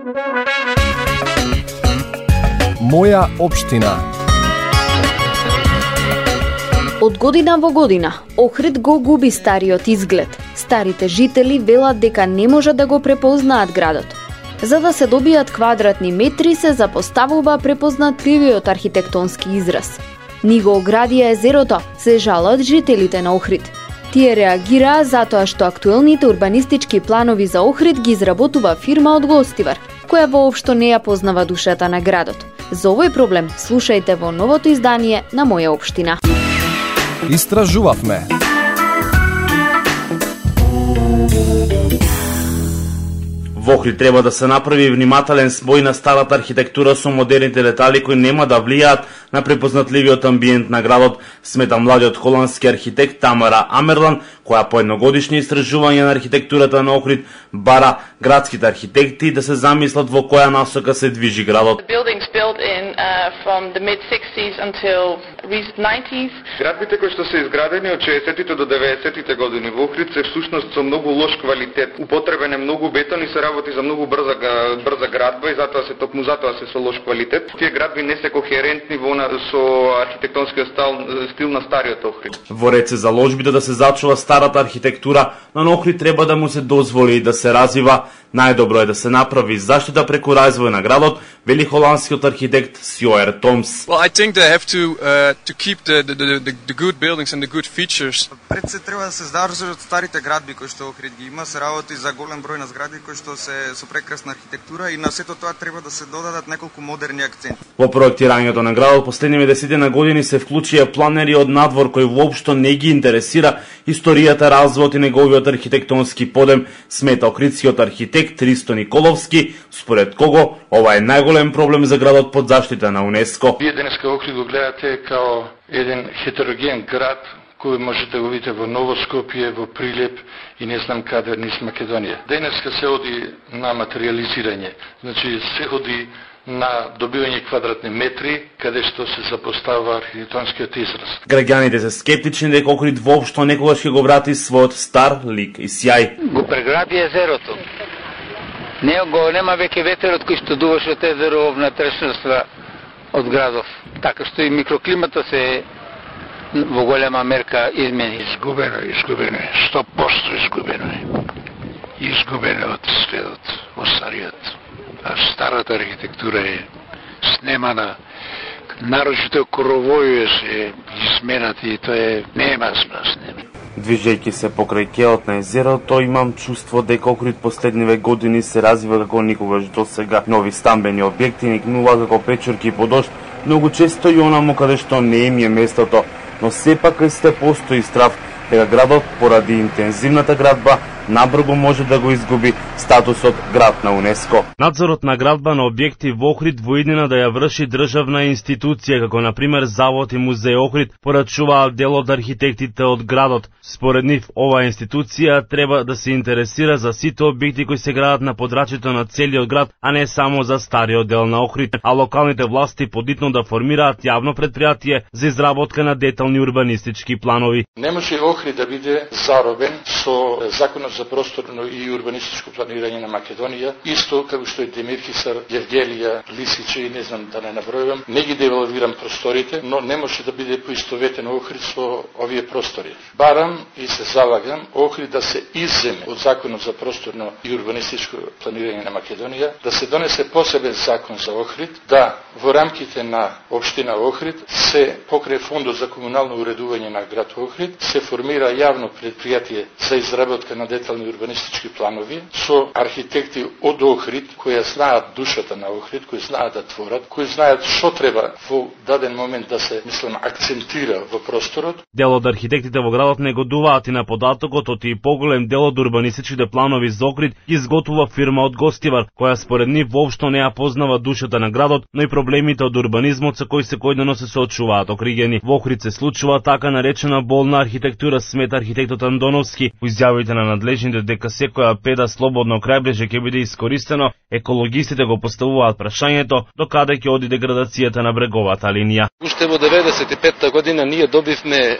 Моја општина. Од година во година, Охрид го губи стариот изглед. Старите жители велат дека не можат да го препознаат градот. За да се добијат квадратни метри се запоставува препознатливиот архитектонски израз. Ни го оградија езерото, се жалат жителите на Охрид. Тие реагираа затоа што актуелните урбанистички планови за Охрид ги изработува фирма од Гостивар, која воопшто не ја познава душата на градот. За овој проблем слушајте во новото издание на Моја општина. Истражувавме. Во Охрид треба да се направи внимателен спој на старата архитектура со модерните детали кои нема да влијаат на препознатливиот амбиент на градот, смета младиот холандски архитект Тамара Амерлан, која по едногодишни истражување на архитектурата на Охрид бара градските архитекти да се замислат во која насока се движи градот. Градбите кои што се изградени од 60-тите до 90-тите години во Охрид се всушност со многу лош квалитет. Употребен е многу бетон и се работи за многу брза градба и затоа се токму затоа се со лош квалитет. Тие градби не се кохерентни со архитектонскиот стил на стариот Охрид. Во ред се заложбите да се зачува старата архитектура, но на Охрид треба да му се дозволи да се развива. Најдобро е да се направи заштита преку развој на градот, вели холандскиот архитект Сјоер Томс. Well, I think they have to keep the good buildings and the good features. Пред се треба да се задржат старите градби кои што Охрид ги има, се работи за голем број на згради кои што се со прекрасна архитектура и на сето тоа треба да се додадат неколку модерни акценти. Во проектирањето на градот последниве 10 години се вклучија планери од надвор кои воопшто не ги интересира историјата, развојот и неговиот архитектонски подем, смета охридскиот архитект Ристо Николовски, според кого ова е најголем проблем за градот под заштита на УНЕСКО. Вие денеска Охрид го гледате као еден хетероген град кој можете да го видите во Ново Скопје, во Прилеп и не знам каде низ Македонија. Денеска се оди на материализирање, значи се оди на добивање квадратни метри, каде што се запостава архитектонскиот израз. Граѓаните се скептични дека Охрид воопшто некогаш ќе го врати својот стар лик и сјај. Го преграби езерото. Нема веќе ветерот кој што дуваше од езеро во внатрешноста од градов. Така што и микроклимата се во голема мерка измени. Изгубено, 100% изгубено е. Изгубено од следот, од стариот. А старата архитектура е снемана, нарочито коровојуе се изменати и тоа нема смисла. Движејќи се покрај кеот на езерото, имам чувство дека Охрид последниве години се развива како никогаш досега. Нови стамбени објекти никнува како печурки по дожд, многу често и онаму каде што не им е местото, но сепак сте постои страв дека градот поради интензивната градба набрзо може да го изгуби статусот град на УНЕСКО. Надзорот на градба на објекти во Охрид во иднина да ја врши државна институција, како на пример Завод и Музеј Охрид, порачуваат дел од архитектите од градот. Според нив, оваа институција треба да се интересира за сите објекти кои се градат на подрачјето на целиот град, а не само за стариот дел на Охрид, а локалните власти подитно да формираат јавно предпријатие за изработка на детални урбанистички планови. Не може Охрид да биде заробен со законот за просторно и урбанистичко планирање на Македонија, исто како што и Демирхисар, Гергелија, Лисиче и не знам да не набројувам, не ги девалвирам просторите, но не може да биде поистоветен Охрид со овие простори. Барам и се залагам Охрид да се изземе од законот за просторно и урбанистичко планирање на Македонија, да се донесе посебен закон за Охрид, да во рамките на општина Охрид се покрај фондот за комунално уредување на град Охрид се формира јавно предпријатие за изработка на детални урбанистички планови со архитекти од Охрид кои знаат душата на Охрид, кои знаат да творат, кои знаат што треба во даден момент да се, мислам, акцентира во просторот. Дел од архитектите во градот негодуваат и на податокот од и поголем дел од урбанистичките планови за Охрид изготвува фирма од Гостивар, која според нив воопшто не ја познава душата на градот, но и проблемите од урбанизмот со кои секојдневно се соочуваат окригени. Во Охрид се случува така наречена болна архитектура, смета архитектот Андоновски. По изјавите на надлежните дека секоја педа слободно крајбрежје ќе биде искористено, екологистите го поставуваат прашањето докаде ќе оди деградацијата на бреговата линија. Уште во 95-та година ние добивме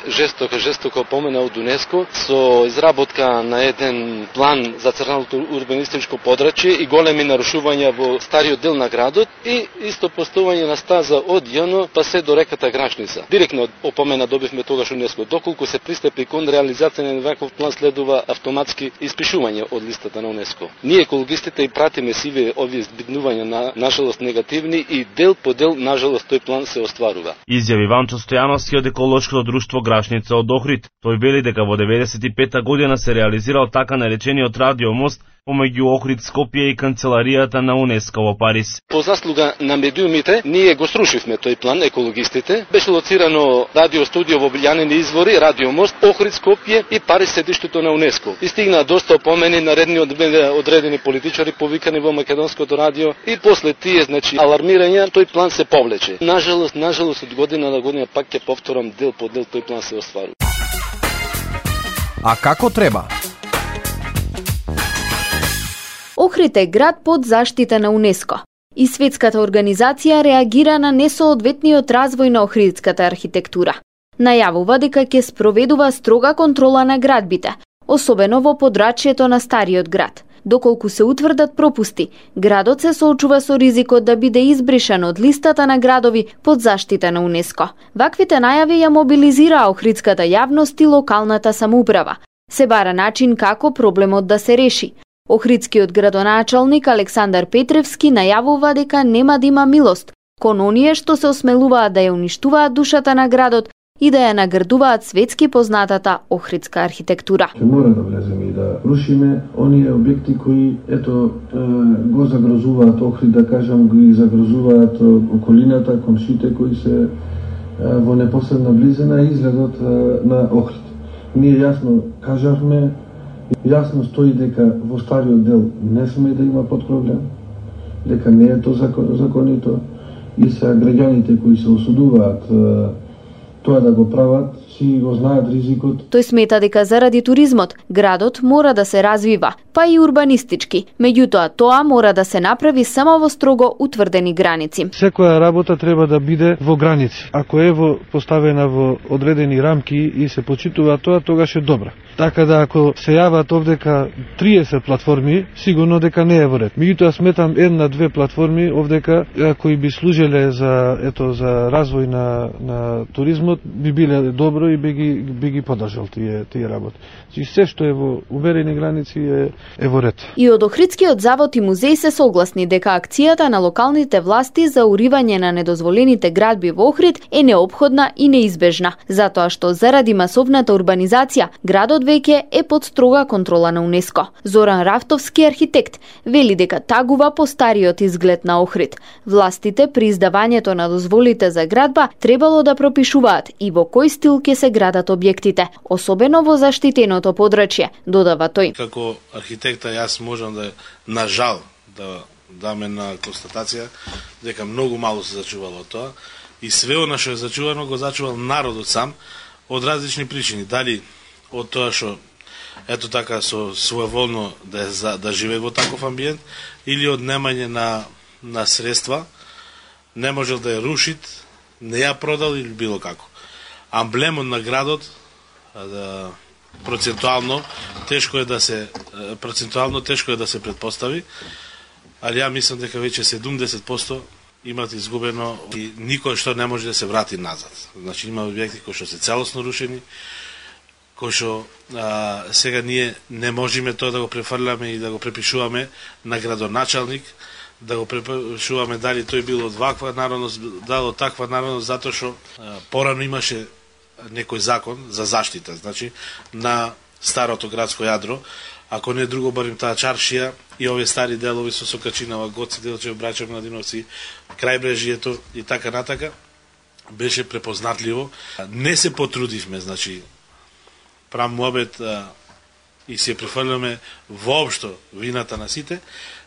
жестоко помена од УНЕСКО со изработка на еден план за централното урбанистичко подрачје и големи нарушувања во стариот дел на градот и исто поставување на стаза од Јоно па се до реката Грашница. Директно опомена добивме тогаш УНЕСКО. Доколку се пристапи кон реализација на ваков план следува автоматски испишување од листата на УНЕСКО. Ние екологистите и пратиме сиве овие збиднувања на жалост негативни и дел по дел на жалост тој план се остварува. Изјави Ванчо Стојановски од еколошкото друштво Грашница од Охрид. Тој вели дека во 95-та година се реализирал така наречениот радиомост помеѓу Охрид, Скопје и канцеларијата на УНЕСКО во Париз. По заслуга на медиумите, ние го срушивме тој план, екологистите. Беше лоцирано радиостудио во Билјанини извори, радиомост, Охрид, Скопје и Париз седиштето на УНЕСКО. И стигна доста опомени наредни одредени политичари повикани во македонското радио и после тие, значи, алармирања, тој план се повлече. Нажалост од година на година пак ќе повторам дел по дел тој план се остварува. А како треба? Охрид е град под заштита на УНЕСКО и светската организација реагира на несоодветниот развој на охридската архитектура. Најавува дека ќе спроведува строга контрола на градбите, особено во подрачјето на стариот град. Доколку се утврдат пропусти, градот се соочува со ризикот да биде избришан од листата на градови под заштита на УНЕСКО. Ваквите најави ја мобилизираа охридската јавност и локалната самоуправа. Се бара начин како проблемот да се реши. Охридскиот градоначалник Александар Петревски најавува дека нема да има милост кон оние што се осмелуваат да ја уништуваат душата на градот и да ја наградуваат светски познатата охридска архитектура. Мора да влеземе и да рушиме оние објекти кои го загрозуваат Охрид, да кажам, ги загрозуваат околината, комшите кои се во непосредна близина и изгледот на Охрид. Ние јасно кажавме, јасно стои дека во стариот дел не сме да има подкровља, дека не е тоа законито и се граѓаните кои се осудуваат тоа да го прават, си го знаат ризикот. Тој смета дека заради туризмот градот мора да се развива, па и урбанистички. Меѓутоа тоа мора да се направи само во строго утврдени граници. Секоја работа треба да биде во граници. Ако е поставена во одредени рамки и се почитува тоа, тогаш е добра. Така да ако се јават овдека 30 платформи, сигурно дека не е во ред. Меѓутоа сметам една-две платформи овдека кои би служеле за развој на туризмот, би биле добро и би ги поддржал тие работи. И се што е во уверени граници е во ред. И од Охридскиот завод и музеј се согласни дека акцијата на локалните власти за уривање на недозволените градби во Охрид е неопходна и неизбежна, затоа што заради масовната урбанизација градот веќе е под строга контрола на УНЕСКО. Зоран Рафтовски, архитект, вели дека тагува по стариот изглед на Охрид. Властите при издавањето на дозволите за градба требало да пропишуваат и во кој стил ќе се градат објектите, особено во заштитеното подрачје, додава тој. Како архитекта јас можам да, на жал, да даме на констатација дека многу мало се зачувало тоа и све она што е зачувано го зачувал народот сам од различни причини. Дали од тоа што ето така со своеволно да живее во таков амбиент или од немање на средства, не можел да ја рушит, не ја продал или било како. Амблемот на градот процентуално тешко е да се предпостави, али ја мислам дека веќе 70% имат изгубено и никој што не може да се врати назад. Значи има објекти кои што се целосно рушени, кои што сега ние не можеме тоа да го префрламе и да го препишуваме на градоначалник, да го препишуваме дали тој бил од ваква народност, дали од таква народност, затоа што порано имаше некој закон за заштита, значи на старото градско јадро, ако не друго барем таа чаршија и овие стари делови со Сокачинава, Гоци, Делчев, Брачев, Младиновци, крајбрежјето и така натака, беше препознатливо. Не се потрудивме, значи правам муабет и се префрламе воопшто вината на сите,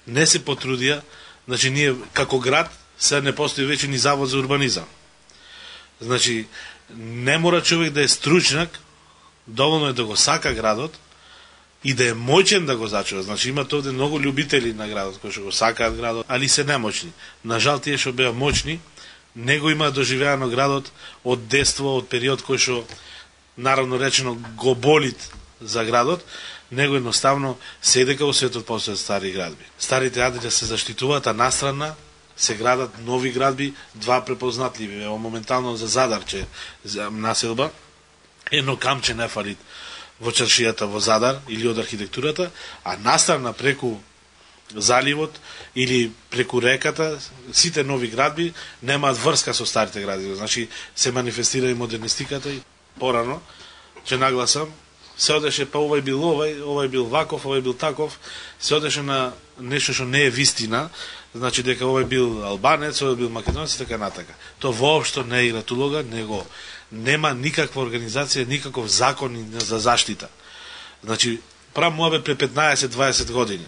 не се потрудија, значи ние како град се не постои веќе ни завод за урбанизам. Значи не мора човек да е стручнак, доволно е да го сака градот и да е моќен да го зачува. Значи имате овде многу љубители на градот кои што го сакаат градот, али се немоćни. На жал тие што беа моćни не го има доживеано градот од детство, од период кој што наравно речено го болит за градот, него едноставно седека во светот постојат стари градби. Старите градби се заштитуваат, а настрана се градат нови градби, два препознатливи. Ево моментално за Задарче населба, едно камче не фалит во чаршијата во Задар или од архитектурата, а настрана преку заливот или преку реката, сите нови градби немаат врска со старите градби. Значи се манифестира и модернистиката и порано, че нагласам, се одеше па овај бил ваков, овај бил таков, се одеше на нешто што не е вистина, значи дека овај бил албанец, овај бил македонец и така натака. Тоа воопшто не игра улога, него нема никаква организација, никаков закон за заштита. Значи, прав муабет пред 15-20 години.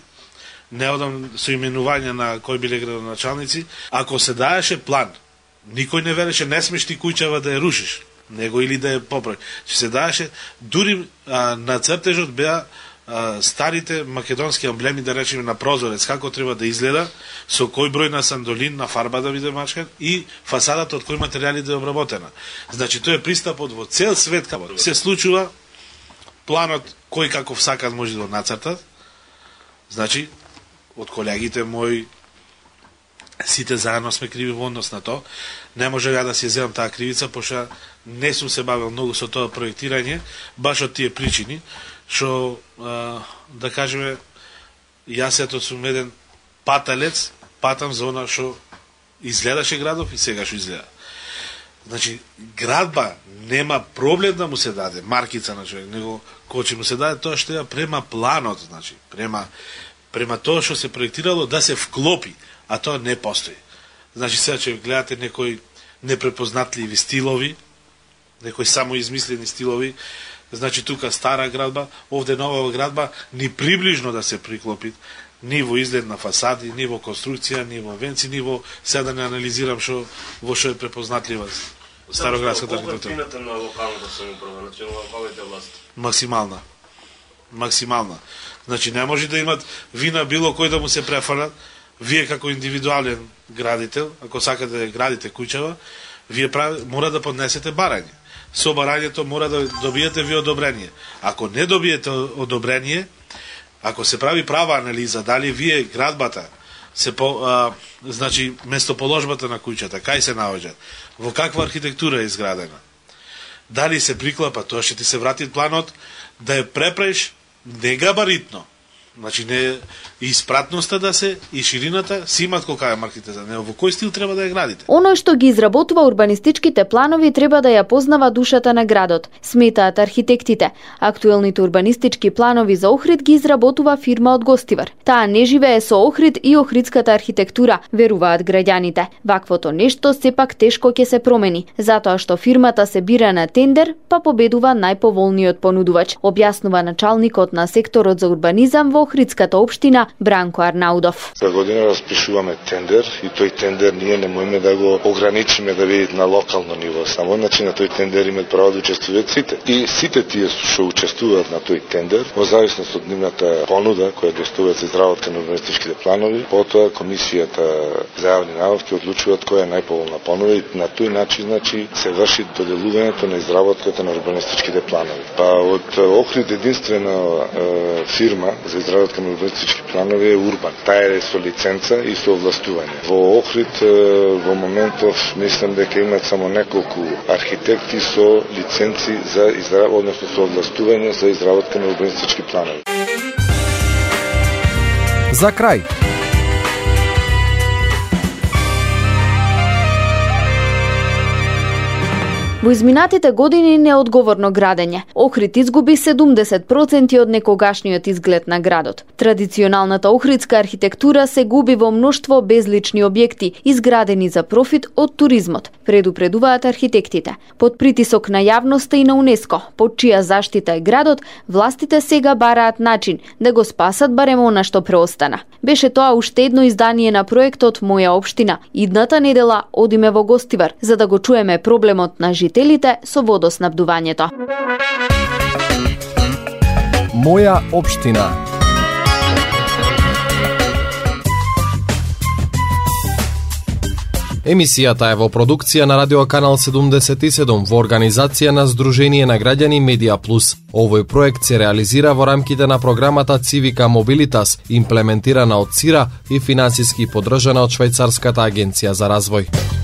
Не одам со именување на кои биле градоначалници, ако се даеше план, никој не велеше не смеш ти куќава да ја рушиш, него или да ја поправиш. Че се даеше, дури на цртежот беа старите македонски емблеми, да речеме на прозорец, како треба да изгледа, со кој број на сандолин, на фарба да биде мачкан и фасадата од кој материјали да е обработена. Значи, тој е пристапот во цел свет, како се случува, планот кој каков сакат може да го нацртат. Значи, од колегите мои, сите заедно сме криви во однос на тоа. Не може ја да си земам таа кривица, пошто не сум се бавил многу со тоа проектирање, баш од тие причини, што, да кажеме, јас ето сум еден паталец, патам за она што изгледаше градов и сега што изгледа. Значи, градба нема проблем да му се даде маркица на човек, него кој ќе му се даде тоа што ја према планот, значи, према тоа што се проектирало да се вклопи, а тоа не постои. Значи, сега ќе гледате некои непрепознатливи стилови, некои самоизмислени стилови, значи тука стара градба, овде нова градба, ни приближно да се приклопи, ни во изглед на фасади, ни во конструкција, ни во венци, ни во, сега да не анализирам во што е препознатлива староградската архитектура. Вината на локалната самоуправа, значи на локалните власти? Максимална. Значи не може да имат вина било кој да му се префалат. Вие како индивидуален градител, ако сакате да градите куќава, вие мора да поднесете барање. Со барањето мора да добиете ви одобрение. Ако не добиете одобрение, ако се прави права анализа, дали вие градбата, значи местоположбата на куќата, кај се наоѓа, во каква архитектура е изградена, дали се приклапа, тоа ќе ти се врати планот да ја преправиш не габаритно, значи не и спратноста да се и ширината си имат колка е марките за него, во кој стил треба да ја градите. Оној што ги изработува урбанистичките планови треба да ја познава душата на градот, сметаат архитектите. Актуелните урбанистички планови за Охрид ги изработува фирма од Гостивар. Таа не живее со Охрид и охридската архитектура, веруваат граѓаните. Ваквото нешто сепак тешко ќе се промени, затоа што фирмата се бира на тендер, па победува најповолниот понудувач, објаснува началникот на секторот за урбанизам во Охридската општина Бранко Арнаудов. За година распишуваме тендер и тој тендер ние не можеме да го ограничиме да биде на локално ниво. Само значи на тој тендер имаат право да учествуваат сите. И сите тие што учествуваат на тој тендер, во зависност од нивната понуда која доставуваат за изработка на урбанистичките планови, потоа комисијата за јавни набавки одлучуваат која е најповолна понуда и на тој начин значи се врши доделувањето на изработката на урбанистичките планови. Па од Охрид единствена фирма за изработка на урбанистички планови е Урбан. Таа е со лиценца и со овластување. Во Охрид во моментов мислам дека имаат само неколку архитекти со лиценци за односно со овластување за изработка на урбанистички планови. За крај. Во изминатите години неодговорно градење. Охрид изгуби 70% од некогашниот изглед на градот. Традиционалната охридска архитектура се губи во мноштво безлични објекти, изградени за профит од туризмот, предупредуваат архитектите. Под притисок на јавноста и на УНЕСКО, под чија заштита е градот, властите сега бараат начин да го спасат барем она што преостана. Беше тоа уште едно издание на проектот Моја општина. Идната недела одиме во Гостивар за да го чуеме проблемот на жителите со водоснабдувањето. Моја општина. Емисијата е во продукција на Радио Канал 77 во организација на Сдружение на граѓани Медиа Плюс. Овој проект се реализира во рамките на програмата Civica Mobilitas, имплементирана од ЦИРА и финансиски поддржана од Швајцарската агенција за развој.